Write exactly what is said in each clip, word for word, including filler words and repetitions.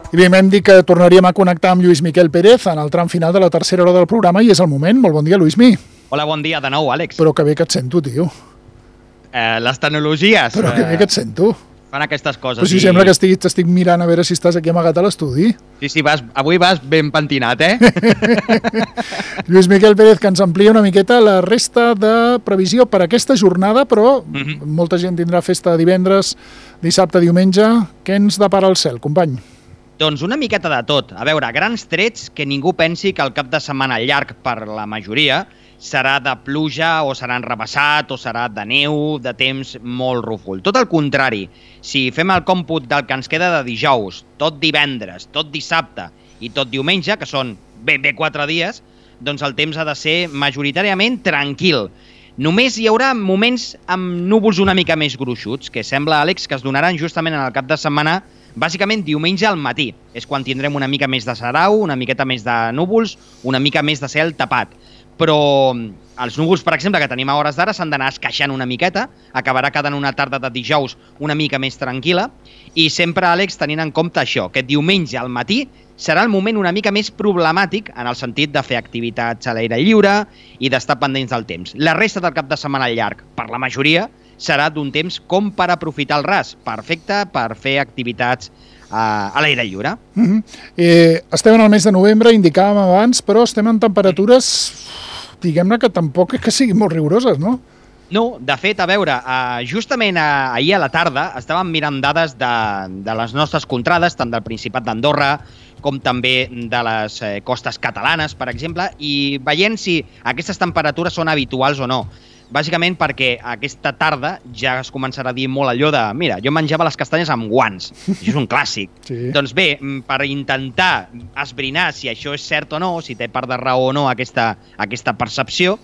I bé, m'hem dit que tornaríem a connectar amb Lluís Miquel Pérez en el tram final de la tercera hora del programa i és el moment. Molt bon dia, Lluïsmi. Hola, bon dia de nou, Àlex. Però que bé que et sento, tio. Eh, les tecnologies... Però que bé que et sento. Fan aquestes coses. Però si i... sembla que estic, t'estic mirant a veure si estàs aquí amagat a l'estudi. Sí, sí, vas, avui vas ben pentinat, eh? Lluís Miquel Pérez, que ens amplia una miqueta la resta de previsió per aquesta jornada, però mm-hmm. molta gent tindrà festa divendres, dissabte, diumenge. Què ens depara el cel, company? Doncs una miqueta de tot. A veure, grans trets, que ningú pensi que el cap de setmana llarg per la majoria serà de pluja o serà enrabassat o serà de neu, de temps molt rúfol. Tot el contrari, si fem el còmput del que ens queda de dijous, tot divendres, tot dissabte i tot diumenge, que són ben bé quatre dies, doncs el temps ha de ser majoritàriament tranquil. Només hi haurà moments amb núvols una mica més gruixuts, que sembla, Àlex, que es donaran justament en el cap de setmana, bàsicament diumenge al matí. És quan tindrem una mica més de sarau, una miqueta més de núvols, una mica més de cel tapat. Però els núvols, per exemple, que tenim a hores d'ara s'han d'anar esqueixant una miqueta, acabarà quedant una tarda de dijous una mica més tranquil·la, i sempre, Àlex, tenint en compte això, que diumenge al matí serà el moment una mica més problemàtic en el sentit de fer activitats a l'aire lliure i d'estar pendents del temps. La resta del cap de setmana llarg, per la majoria, serà d'un temps com per aprofitar el ras, perfecte per fer activitats a, a l'aire lliure. Mm-hmm. eh, estem en el mes de novembre, indicàvem abans, però estem en temperatures, diguem-ne que tampoc és que siguin molt rigoroses, no? No, de fet, a veure, uh, justament uh, ahir a la tarda estàvem mirant dades de, de les nostres contrades, tant del Principat d'Andorra com també de les eh, costes catalanes, per exemple, i veient si aquestes temperatures són habituals o no. Bàsicament perquè aquesta tarda ja es començarà a dir molt allò de mira, jo menjava les castanyes amb guants. Això és un clàssic. Sí. Doncs bé, per intentar esbrinar si això és cert o no, si té part de raó o no aquesta, aquesta percepció,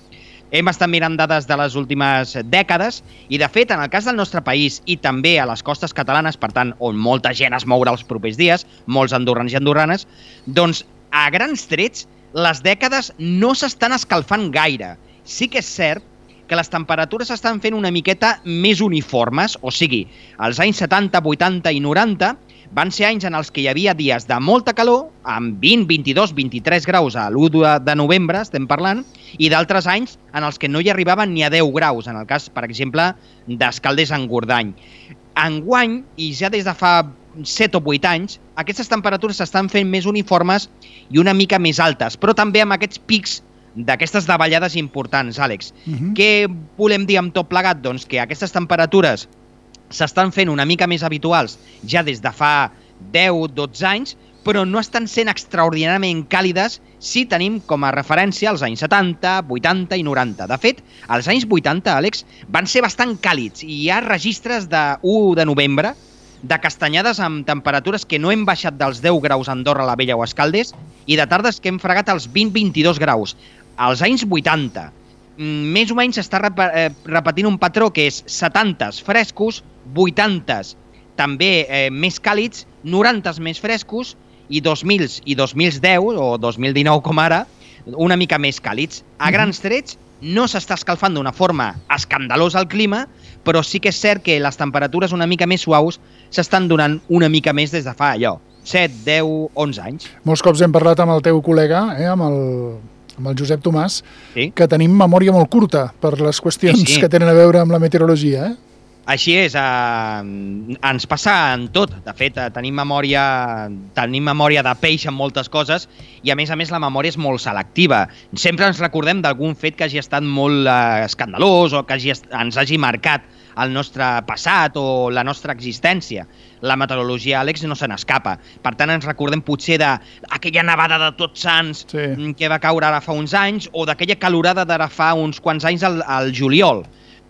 hem estat mirant dades de les últimes dècades i, de fet, en el cas del nostre país i també a les costes catalanes, per tant, on molta gent es mourà els propers dies, molts andorrans i andorranes, doncs, a grans trets, les dècades no s'estan escalfant gaire. Sí que és cert que les temperatures s'estan fent una miqueta més uniformes, o sigui, als anys setanta, vuitanta i noranta van ser anys en els que hi havia dies de molta calor, amb vint, vint-i-dos, vint-i-tres graus a l'u de novembre, estem parlant, i d'altres anys en els que no hi arribaven ni a deu graus, en el cas, per exemple, d'Escaldes-Engordany. Enguany, i ja des de fa set o vuit anys, aquestes temperatures s'estan fent més uniformes i una mica més altes, però també amb aquests pics d'aquestes davallades importants, Àlex. Uh-huh. Què volem dir amb tot plegat? Doncs que aquestes temperatures s'estan fent una mica més habituals ja des de fa deu dotze anys, però no estan sent extraordinàriament càlides si tenim com a referència els anys setanta, vuitanta i noranta. De fet, els anys vuitanta, Àlex, van ser bastant càlids i hi ha registres de u de novembre de castanyades amb temperatures que no hem baixat dels deu graus a Andorra la Vella o Escaldes i de tardes que hem fregat els vint a vint-i-dos graus. Als anys vuitanta, més o menys s'està repetint un patró que és setantes frescos, vuitantes també eh, més càlids, norantes més frescos i dos mils i dos mil deu o dos mil dinou com ara, una mica més càlids. A grans trets no s'està escalfant d'una forma escandalosa el clima, però sí que és cert que les temperatures una mica més suaus s'estan donant una mica més des de fa allò, set, deu, onze anys. Molts cops hem parlat amb el teu col·lega, eh, amb el... amb el Josep Tomàs, sí? Que tenim memòria molt curta per les qüestions sí, sí. que tenen a veure amb la meteorologia, eh? Així és, eh, ens passa en tot. De fet, eh, tenim memòria tenim memòria de peix en moltes coses i, a més a més, la memòria és molt selectiva. Sempre ens recordem d'algun fet que hagi estat molt eh, escandalós o que hagi, ens hagi marcat el nostre passat o la nostra existència. La meteorologia, Àlex, no se n'escapa. Per tant, ens recordem potser d'aquella nevada de Tots Sants sí. que va caure ara fa uns anys o d'aquella calorada d'ara fa uns quants anys al, al juliol.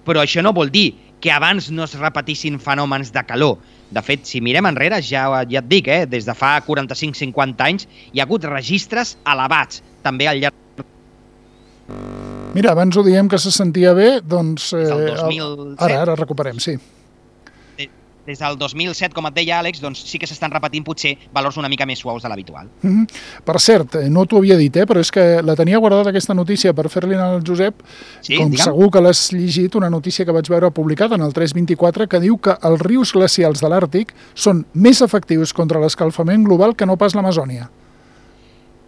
Però això no vol dir que abans no es repetissin fenòmens de calor. De fet, si mirem enrere, ja, ja et dic, eh, des de fa quaranta-cinc a cinquanta anys hi ha hagut registres elevats, també al llarg... Mira, abans ho diem que se sentia bé, doncs... Eh, el dos mil set. Ara, ara recuperem, sí. des del dos mil set, com et deia Àlex, doncs sí que s'estan repetint potser valors una mica més suaus de l'habitual. Mm-hmm. Per cert, no t'ho havia dit, eh, però és que la tenia guardada aquesta notícia per fer-li al Josep, sí, com digue'm. Segur que l'has llegit, una notícia que vaig veure publicada en el tres vint-i-quatre que diu que els rius glacials de l'Àrtic són més efectius contra l'escalfament global que no pas l'Amazònia.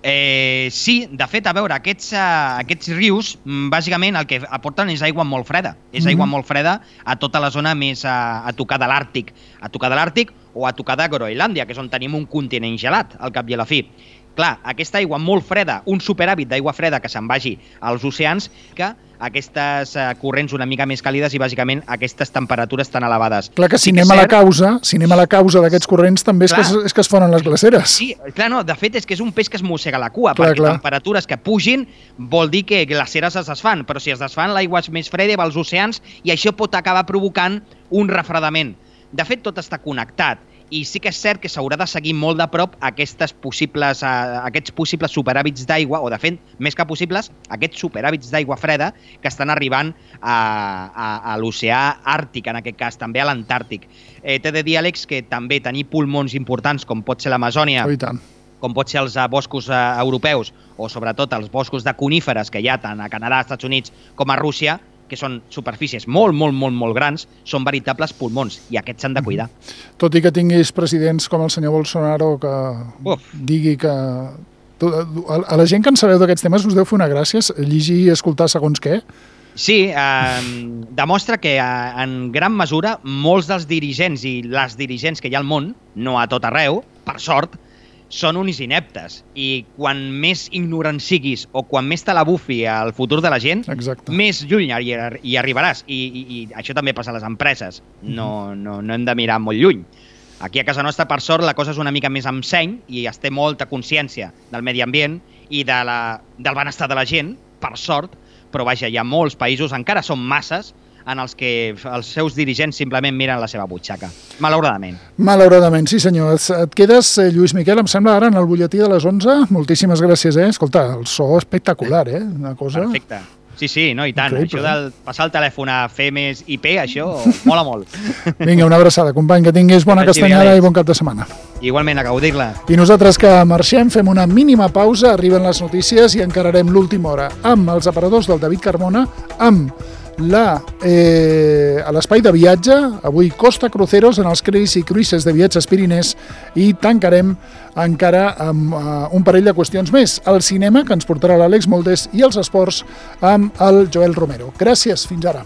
Eh, sí, de fet, a veure, aquests, uh, aquests rius, bàsicament el que aporten és aigua molt freda. És mm-hmm. aigua molt freda a tota la zona més a, a tocar de l'Àrtic. A tocar de l'Àrtic o a tocar de Groenlàndia, que és on tenim un continent gelat, al cap i a la fi. Clar, aquesta aigua molt freda, un superàvit d'aigua freda que se'n vagi als oceans, que aquestes uh, corrents una mica més càlides i bàsicament aquestes temperatures tan elevades. Clar que si sí anem que a la cert... causa, si anem a la causa d'aquests corrents també és que, es, és que es fonen les glaceres. Sí, clar, no, de fet és que és un peix que es mossega la cua, clar, perquè clar. temperatures que pugin vol dir que glaceres es desfan, però si es desfan l'aigua és més freda va als oceans i això pot acabar provocant un refredament. De fet, tot està connectat. I sí que és cert que s'haurà de seguir molt de prop aquestes possibles, uh, aquests possibles superàvits d'aigua, o de fet, més que possibles, aquests superàvits d'aigua freda que estan arribant a, a, a l'oceà Àrtic, en aquest cas, també a l'Antàrtic. Eh, T'he de dir, Àlex, que també tenir pulmons importants, com pot ser l'Amazònia, Oh, i tant. com pot ser els uh, boscos uh, europeus, o sobretot els boscos de coníferes que hi ha tant a Canadà, als Estats Units, com a Rússia, que són superfícies molt, molt, molt, molt grans, són veritables pulmons, i aquests s'han de cuidar. Tot i que tinguis presidents com el senyor Bolsonaro que Uf. digui que... A la gent que en sabeu d'aquests temes us deu fer una gràcia llegir i escoltar segons què? Sí, eh, demostra que eh, en gran mesura molts dels dirigents i les dirigents que hi ha al món, no a tot arreu, per sort, són uns ineptes. I quan més ignorant siguis o quan més te la bufi el futur de la gent, Exacte. més lluny hi, hi arribaràs. I, i, I això també passa a les empreses. No, no, no hem de mirar molt lluny. Aquí a casa nostra, per sort, la cosa és una mica més amb seny i es té molta consciència del medi ambient i de la, del benestar de la gent, per sort, però vaja, hi ha molts països, encara són masses, en els que els seus dirigents simplement miren la seva butxaca. Malauradament. Malauradament, sí senyor. Et quedes, Lluís Miquel, em sembla, ara en el butlletí de les onze. Moltíssimes gràcies, eh? Escolta, el so espectacular, eh? Una cosa... Perfecte. Sí, sí, no, i tant. Increïble, això del passar el telèfon a fer més I P, això mola molt. Vinga, una abraçada, company, que tinguis bona castanyada i bon cap de setmana. Igualment, a gaudir-la. I nosaltres que marxem, fem una mínima pausa, arriben les notícies i encararem l'última hora amb els aparadors del David Carmona, amb la, eh, a l'espai de viatge, avui Costa Cruceros en els Cruis i Cruises de Viatges Pirinès, i tancarem encara amb uh, un parell de qüestions més. El cinema, que ens portarà l'Àlex Moldes, i els esports amb el Joel Romero. Gràcies, fins ara.